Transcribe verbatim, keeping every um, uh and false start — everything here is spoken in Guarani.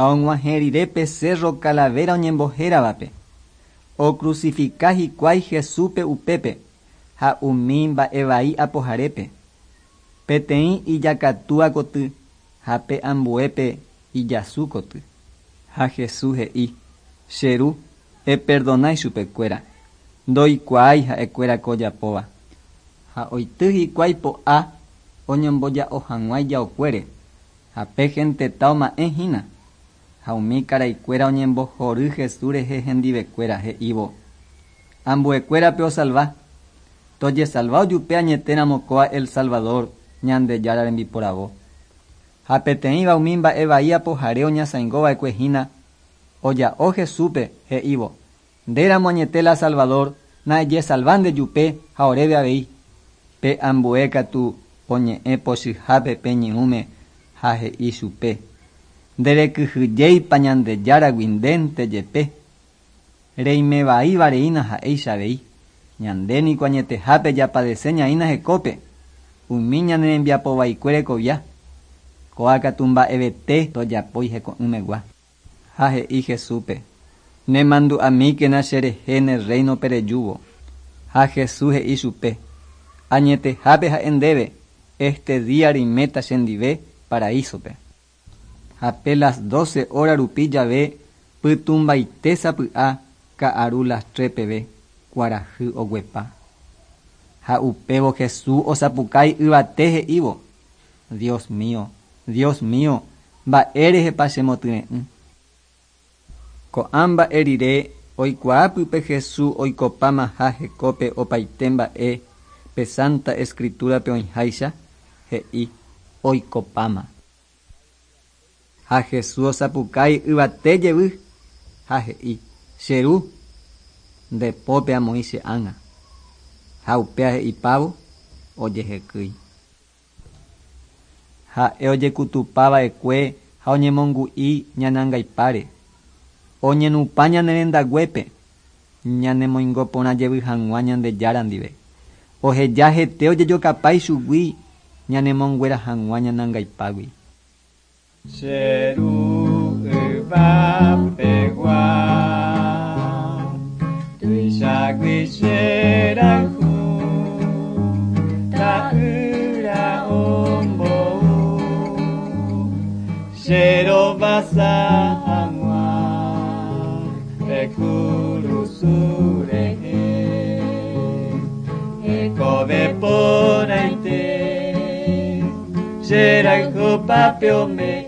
Ha og̃uahẽ rire pe Cerro Calavera oñembohéravape. Ocrucifica hikuái Jesúspe upépe ha umi mba'evai apoharépe. Peteĩ ijakatúa koty ha pe ambuépe ijasu koty. Ha Jesús he'i: Che ru, eperdona ichupekuéra. Ndoikuaái ha'ekuéra ko ojapóva. Ha oity hikuái po'a oñomboja'o hag̃ua ijaokuére. Ha pe genteta oma'ẽhína. Ha umi karaikuéra oñembohory Jesús rehe hendivekuéra he'ívo: Ambuekuérape osalva. Tojesalva ojupe añetéramo kóa El Salvador Ñandejára rembiporavo. Ha peteĩva umi mba'evai apohare oñasãingova'ekue hína oja'o Jesúspe he'ívo: Ndéramo añete la Salvador, na ejesalva ndejupe ha oréve avei. Pe ambue katu oñe'ẽ pochyhápe pe ñe'ũme ha he'i chupe: Nderekyhyjéipa Ñandejáragui ndénte jepe. Reimevaívareína ha'éicha avei. Ñande niko añetehápe japadece ñaína hekópe. Umi ñane rembiapovaikue rekovia. Kóa katu mba'evete ndojapói heko'ỹmegua. Ha he'i Jesúspe: Nemandu'amíkena cherehe ne reino-pe rejúvo. Ha Jesús he'i chupe: Añetehápe ha'e ndéve, este día reiméta chendive paraísope. Ha pe las doce horas rupi jave pytũmbaite sapy'a ka'aru las tres peve kuarahy oguepa. Ha upévo Jesús osapukái yvate he'ívo: Dios mío, Dios mío, mba'érehepa chemotyre'ỹ. Ko'ã mba'e rire oikuaápype Jesús oikopámaha hekópe opaite mba'e pe Santa Escritura-pe oĩháicha, he'i oikopáma. Ha Jesús osapukái yvate jevy ha he'i: Che ru, nde pópe amoĩ che ánga. Ha upéva he'ipávo ojehekýi. Ha'e ojekutupava'ekue ha oñemongu'i ñane angaipáre. Oñenupã ñane rendaguépe ñanemoingo porã jevy hag̃ua Ñandejára ndive. Oheja hete ojejokapa ichugui ñanemonguera hag̃ua ñane angaipágui. Che ru yvapegua, tuichagui cherayhu, ta'ýra ombou, cherovasa hag̃ua pe kurusu rehe, hekove porãite, cherayhupápe ome'ẽ.